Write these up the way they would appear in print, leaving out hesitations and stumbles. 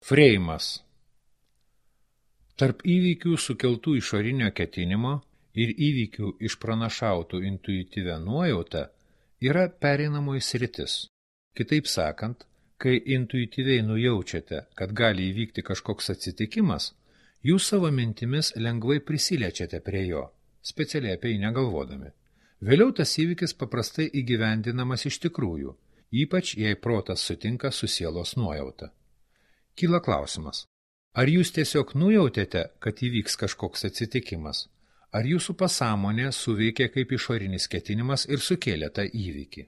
Freimas. Tarp įvykių sukeltų išorinio ketinimo ir įvykių išpranašautų intuityvę nuojautą yra pereinamoji sritis. Kitaip sakant, kai intuityviai nujaučiate, kad gali įvykti kažkoks atsitikimas, jūs savo mintimis lengvai prisiliečiate prie jo, specialiai apie jį negalvodami. Vėliau tas įvykis paprastai įgyvendinamas iš tikrųjų, ypač jei protas sutinka su sielos nuojauta. Kyla klausimas, ar jūs tiesiog nujautėte, kad įvyks kažkoks atsitikimas, ar jūsų pasąmonė suveikė kaip išorinis ketinimas ir sukėlė tą įvykį?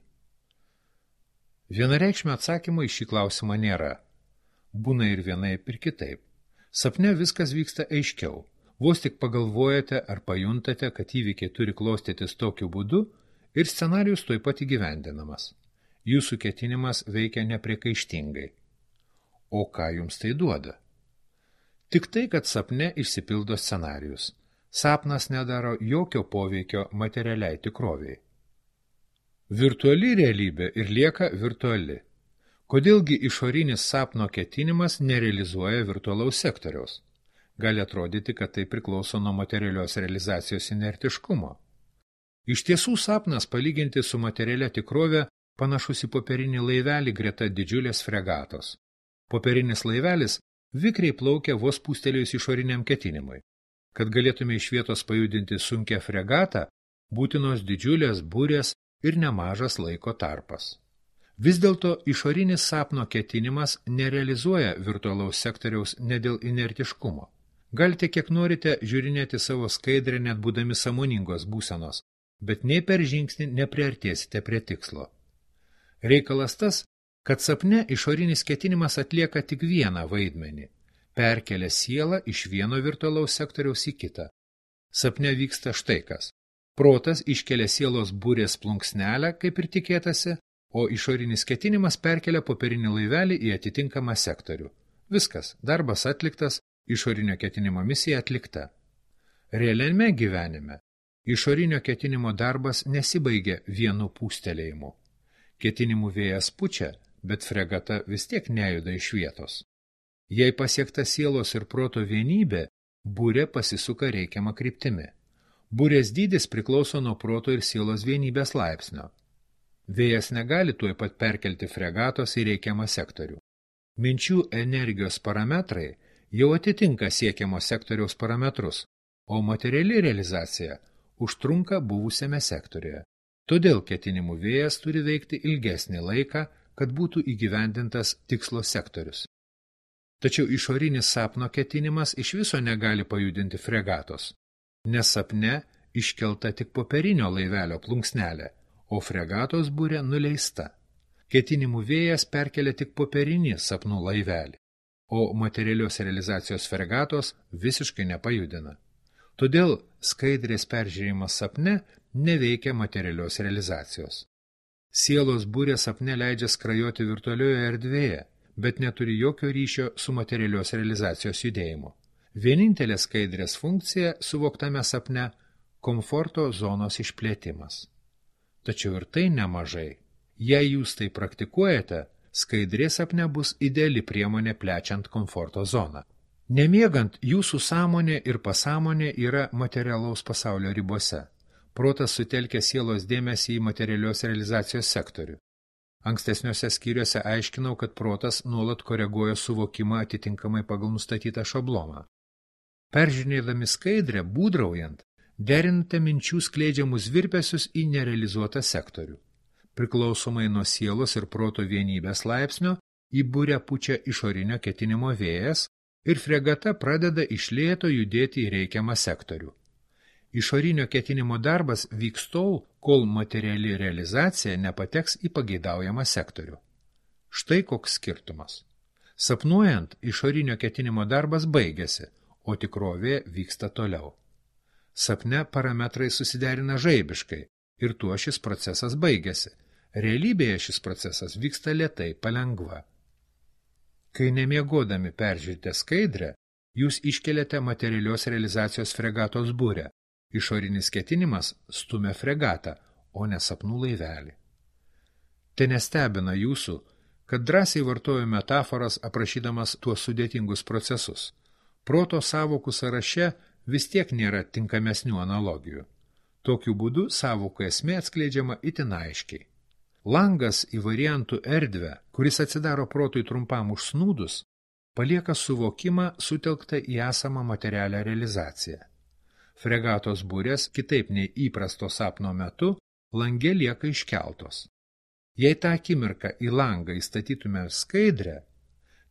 Vienareikšmio atsakymo į šį klausimą nėra. Būna ir vienaip ir kitaip. Sapne viskas vyksta aiškiau. Vos tik pagalvojate ar pajuntate, kad įvykiai turi klostytis tokiu būdu ir scenarijus tuoj pat įgyvendinamas. Jūsų ketinimas veikia nepriekaištingai. O ką jums tai duoda? Tik tai, kad sapne išsipildo scenarijus. Sapnas nedaro jokio poveikio materialiai tikroviai. Virtuali realybė ir lieka virtuali. Kodėlgi išorinis sapno ketinimas nerealizuoja virtualaus sektoriaus? Gali atrodyti, kad tai priklauso nuo materialios realizacijos inertiškumo. Iš tiesų sapnas palyginti su materialia tikrove panašus į popierinį laivelį greta didžiulės fregatos. Popierinis laivelis vikriai plaukia vos pūstelėjus išoriniam ketinimui. Kad galėtume iš vietos pajudinti sunkią fregatą, būtinos didžiulės burės ir nemažas laiko tarpas. Vis dėlto išorinis sapno ketinimas nerealizuoja virtualaus sektoriaus ne dėl inertiškumo. Galite kiek norite žiūrinėti savo skaidrę net būdami sąmoningos būsenos, bet nei per žingsnį nepriartėsite prie tikslo. Reikalas tas, kad sapne išorinis ketinimas atlieka tik vieną vaidmenį – perkelia sielą iš vieno virtualaus sektoriaus į kitą. Sapne vyksta štai kas. Protas iškelia sielos burės plunksnelę, kaip ir tikėtasi, o išorinis ketinimas perkelia popierinį laivelį į atitinkamą sektorių. Viskas, darbas atliktas, išorinio ketinimo misija atlikta. Realiame gyvenime išorinio ketinimo darbas nesibaigia vienu pūstelėjimu. Ketinimų vėjas pučia, bet fregata vis tiek nejuda iš vietos. Jei pasiekta sielos ir proto vienybė, burė pasisuka reikiamą kryptimi. Burės dydis priklauso nuo proto ir sielos vienybės laipsnio. Vėjas negali tuoj pat perkelti fregatos į reikiamą sektorių. Minčių energijos parametrai jau atitinka siekiamo sektoriaus parametrus, o materiali realizacija užtrunka buvusiame sektoriuje. Todėl ketinimų vėjas turi veikti ilgesnį laiką, kad būtų įgyvendintas tikslo sektorius. Tačiau išorinis sapno ketinimas iš viso negali pajudinti fregatos, nes sapne iškelta tik popierinio laivelio plunksnelė, o fregatos burė nuleista. Ketinimų vėjas perkelia tik popierinį sapnų laivelį, o materialios realizacijos fregatos visiškai nepajudina. Todėl skaidrės peržiūrėjimas sapne neveikia materialios realizacijos. Sielos burė sapne leidžia skrajoti virtualioje erdvėje, bet neturi jokio ryšio su materialios realizacijos judėjimu. Vienintelė skaidrės funkcija suvoktame sapne – komforto zonos išplėtimas. Tačiau ir tai nemažai. Jei jūs tai praktikuojate, skaidrė sapne bus ideali priemonė plečiant komforto zoną. Nemiegant, jūsų sąmonė ir pasąmonė yra materialaus pasaulio ribose. Protas sutelkia sielos dėmesį į materialios realizacijos sektorių. Ankstesniuose skyriuose aiškinau, kad protas nuolat koreguoja suvokimą atitinkamai pagal nustatytą šabloną. Peržiūrėdami skaidrę, būdraujant, derinate minčių skleidžiamus virpesius į nerealizuotą sektorių. Priklausomai nuo sielos ir proto vienybės laipsnio, į burę pučia išorinio ketinimo vėjas ir fregata pradeda iš lėto judėti į reikiamą sektorių. Išorinio ketinimo darbas vyks tol, kol materiali realizacija nepateks į pageidaujamą sektorių. Štai koks skirtumas. Sapnuojant, išorinio ketinimo darbas baigėsi, o tikrovė vyksta toliau. Sapne parametrai susiderina žaibiškai ir tuo šis procesas baigėsi. Realybėje šis procesas vyksta lėtai, palengva. Kai nemiegodami peržiūrite skaidrę, jūs iškeliate materialios realizacijos fregatos burę. Išorinis ketinimas stumia fregatą, o ne sapnų laivelį. Te nestebina jūsų, kad drąsiai vartoju metaforas aprašydamas tuos sudėtingus procesus. Proto sąvokų sąraše vis tiek nėra tinkamesnių analogijų. Tokiu būdu sąvokų esmė atskleidžiama itin aiškiai. Langas į variantų erdvę, kuris atsidaro protui trumpam užsnūdus, palieka suvokimą sutelktą į esamą materialią realizaciją. Fregatos burės, kitaip nei įprasto sapno metu, lange lieka iškeltos. Jei tą akimirką į langą įstatytume skaidrę,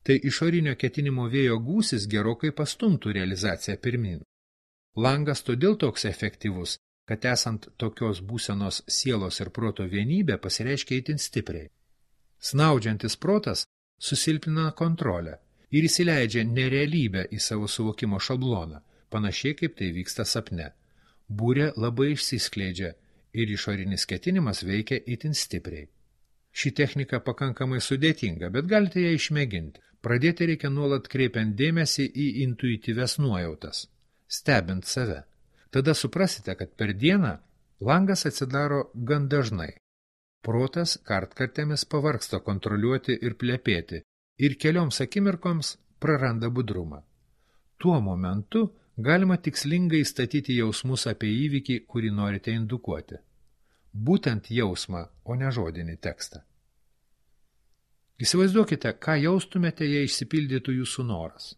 tai išorinio ketinimo vėjo gūsis gerokai pastumtų realizaciją pirmin. Langas todėl toks efektyvus, kad esant tokios būsenos sielos ir proto vienybė pasireiškia itin stipriai. Snaudžiantis protas susilpnina kontrolę ir įsileidžia nerealybę į savo suvokimo šabloną, panašiai kaip tai vyksta sapne. Būrė labai išsiskleidžia ir išorinis ketinimas veikia itin stipriai. Ši technika pakankamai sudėtinga, bet galite ją išmėginti. Pradėti reikia nuolat kreipiant dėmesį į intuityvias nuojautas, stebint save. Tada suprasite, kad per dieną langas atsidaro gan dažnai. Protas kartkartėmis pavargsta kontroliuoti ir plepėti ir kelioms akimirkoms praranda budrumą. Tuo momentu galima tikslingai statyti jausmus apie įvykį, kurį norite indukuoti. Būtent jausmą, o ne žodinį tekstą. Įsivaizduokite, ką jaustumėte, jei išsipildytų jūsų noras.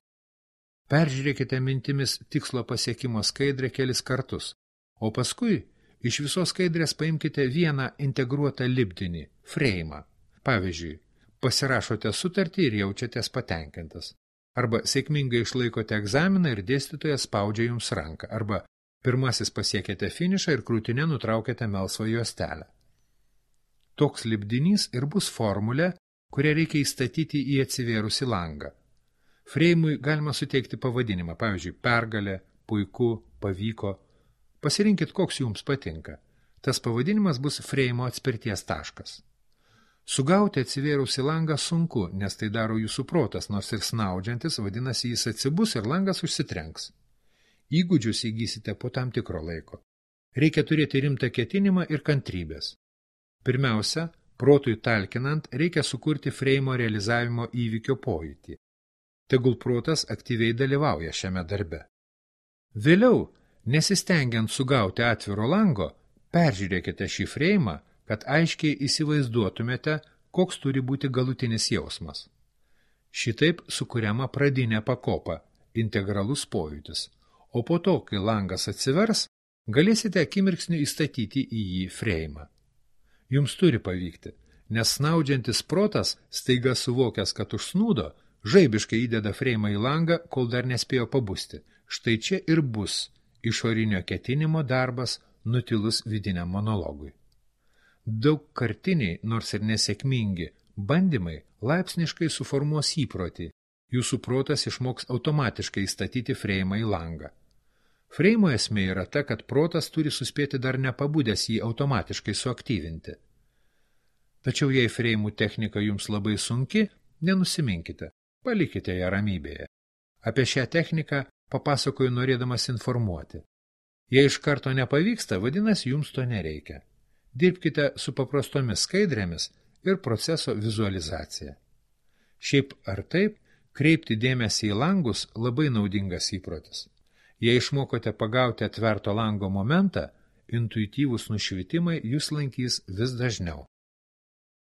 Peržiūrėkite mintimis tikslo pasiekimo skaidrę kelis kartus, o paskui iš visos skaidrės paimkite vieną integruotą lipdinį, freimą. Pavyzdžiui, pasirašote sutartį ir jaučiatės patenkintas. Arba sėkmingai išlaikote egzaminą ir dėstytojas spaudžia jums ranką. Arba pirmasis pasiekėte finišą ir krūtinę nutraukėte melsvą juostelę. Toks lipdinys ir bus formulė, kurią reikia įstatyti į atsivėrusį langą. Freimui galima suteikti pavadinimą, pavyzdžiui, pergalė, puiku, pavyko. Pasirinkit, koks jums patinka. Tas pavadinimas bus freimo atspirties taškas. Sugauti atsivėrusį langą sunku, nes tai daro jūsų protas, nors ir snaudžiantis, vadinasi, jis atsibus ir langas užsitrenks. Įgūdžius įgysite po tam tikro laiko. Reikia turėti rimtą ketinimą ir kantrybės. Pirmiausia, protui talkinant, reikia sukurti freimo realizavimo įvykio pojūtį. Tegul protas aktyviai dalyvauja šiame darbe. Vėliau, nesistengiant sugauti atviro lango, peržiūrėkite šį freimą, kad aiškiai įsivaizduotumėte, koks turi būti galutinis jausmas. Šitaip sukuriama pradinė pakopa, integralus pojūtis, o po to, kai langas atsivers, galėsite akimirksniu įstatyti į jį freimą. Jums turi pavykti, nes snaudžiantis protas, staiga suvokęs, kad užsnūdo, žaibiškai įdeda freimą į langą, kol dar nespėjo pabusti. Štai čia ir bus išorinio ketinimo darbas nutilus vidiniam monologui. Daugkartiniai, nors ir nesėkmingi, bandymai laipsniškai suformuos įprotį. Jūsų protas išmoks automatiškai įstatyti freimą į langą. Freimo esmė yra ta, kad protas turi suspėti dar nepabudęs jį automatiškai suaktyvinti. Tačiau jei freimų technika jums labai sunki, nenusiminkite, palikite ją ramybėje. Apie šią techniką papasakoju norėdamas informuoti. Jei iš karto nepavyksta, vadinasi, jums to nereikia. Dirbkite su paprastomis skaidrėmis ir proceso vizualizacija. Šiaip ar taip, kreipti dėmesį į langus labai naudingas įprotis. Jei išmokote pagauti atverto lango momentą, intuityvūs nušvitimai jūs lankys vis dažniau.